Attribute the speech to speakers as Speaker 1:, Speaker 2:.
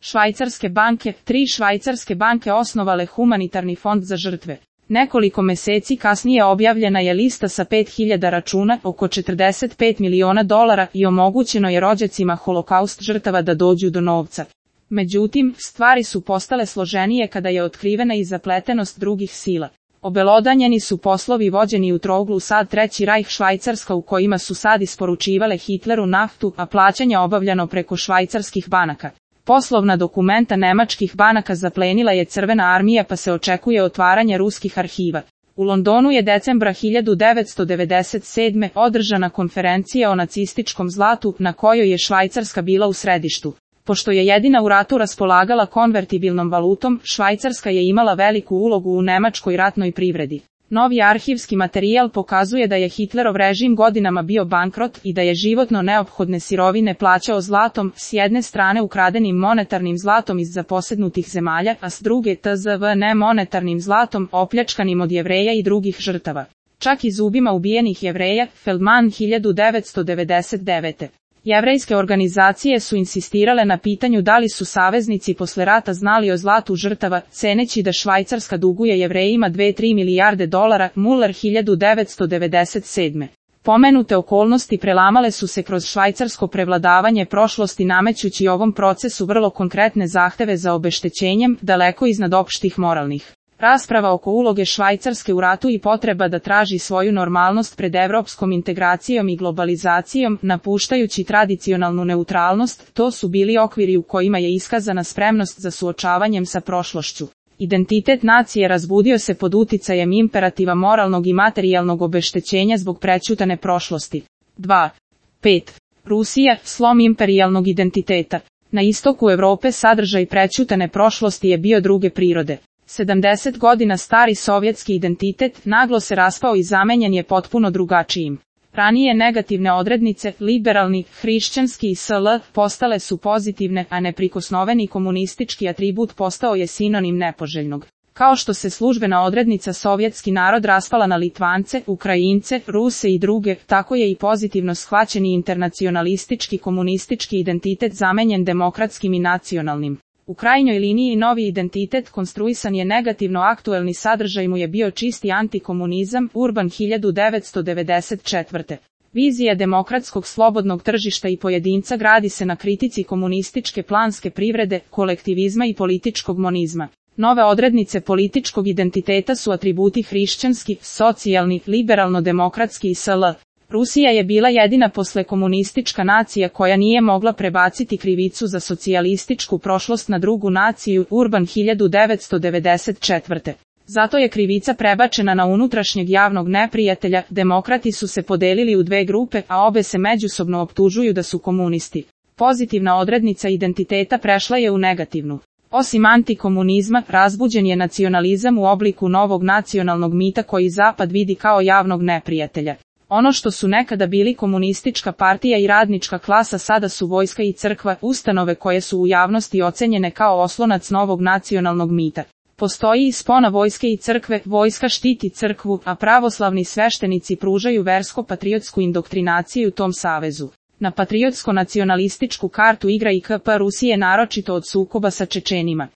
Speaker 1: Švajcarske banke, 3 švajcarske banke osnovale humanitarni fond za žrtve. Nekoliko meseci kasnije objavljena je lista sa 5000 računa, oko 45 miliona dolara i omogućeno je rođacima holokaust žrtava da dođu do novca. Međutim, stvari su postale složenije kada je otkrivena i zapletenost drugih sila. Obelodanjeni su poslovi vođeni u trouglu SAD Treći Rajh Švajcarska u kojima su SAD isporučivale Hitleru naftu, a plaćanje obavljano preko švajcarskih banaka. Poslovna dokumenta nemačkih banaka zaplenila je Crvena armija pa se očekuje otvaranje ruskih arhiva. U Londonu je decembra 1997. održana konferencija o nacističkom zlatu na kojoj je Švajcarska bila u središtu. Pošto je jedina u ratu raspolagala konvertibilnom valutom, Švajcarska je imala veliku ulogu u nemačkoj ratnoj privredi. Novi arhivski materijal pokazuje da je Hitlerov režim godinama bio bankrot i da je životno neophodne sirovine plaćao zlatom, s jedne strane ukradenim monetarnim zlatom iz zaposednutih zemalja, a s druge tzv. nemonetarnim zlatom, opljačkanim od Jevreja i drugih žrtava. Čak i zubima ubijenih Jevreja, Feldman 1999. Jevrejske organizacije su insistirale na pitanju da li su saveznici posle rata znali o zlatu žrtava, ceneći da Švajcarska duguje Jevrejima 2-3 milijarde dolara, Muller 1997. Pomenute okolnosti prelamale su se kroz švajcarsko prevladavanje prošlosti namećući ovom procesu vrlo konkretne zahteve za obeštećenjem, daleko iznad opštih moralnih. Rasprava oko uloge Švajcarske u ratu i potreba da traži svoju normalnost pred evropskom integracijom i globalizacijom, napuštajući tradicionalnu neutralnost, to su bili okviri u kojima je iskazana spremnost za suočavanjem sa prošlošću. Identitet nacije razbudio se pod uticajem imperativa moralnog i materijalnog obeštećenja zbog prećutane prošlosti. 2. 5. Rusija, slom imperijalnog identiteta. Na istoku Evrope sadržaj prećutane prošlosti je bio druge prirode. 70 godina stari sovjetski identitet naglo se raspao i zamenjen je potpuno drugačijim. Ranije negativne odrednice, liberalni, hrišćanski i sl, postale su pozitivne, a neprikosnoveni komunistički atribut postao je sinonim nepoželjnog. Kao što se službena odrednica sovjetski narod raspala na Litvance, Ukrajince, Ruse i druge, tako je i pozitivno shvaćeni internacionalistički komunistički identitet zamenjen demokratskim i nacionalnim. U krajnjoj liniji novi identitet konstruisan je negativno, aktuelni sadržaj mu je bio čisti antikomunizam, Urban 1994. Vizija demokratskog slobodnog tržišta i pojedinca gradi se na kritici komunističke planske privrede, kolektivizma i političkog monizma. Nove odrednice političkog identiteta su atributi hrišćanski, socijalni, liberalno-demokratski i sl. Rusija je bila jedina posle komunistička nacija koja nije mogla prebaciti krivicu za socijalističku prošlost na drugu naciju, Urban 1994. Zato je krivica prebačena na unutrašnjeg javnog neprijatelja, demokrati su se podelili u dve grupe, a obe se međusobno optužuju da su komunisti. Pozitivna odrednica identiteta prešla je u negativnu. Osim antikomunizma, razbuđen je nacionalizam u obliku novog nacionalnog mita koji Zapad vidi kao javnog neprijatelja. Ono što su nekada bili komunistička partija i radnička klasa sada su vojska i crkva, ustanove koje su u javnosti ocenjene kao oslonac novog nacionalnog mita. Postoji i spona vojske i crkve, vojska štiti crkvu, a pravoslavni sveštenici pružaju versko-patriotsku indoktrinaciju u tom savezu. Na patriotsko-nacionalističku kartu igra i KP Rusije naročito od sukoba sa Čečenima.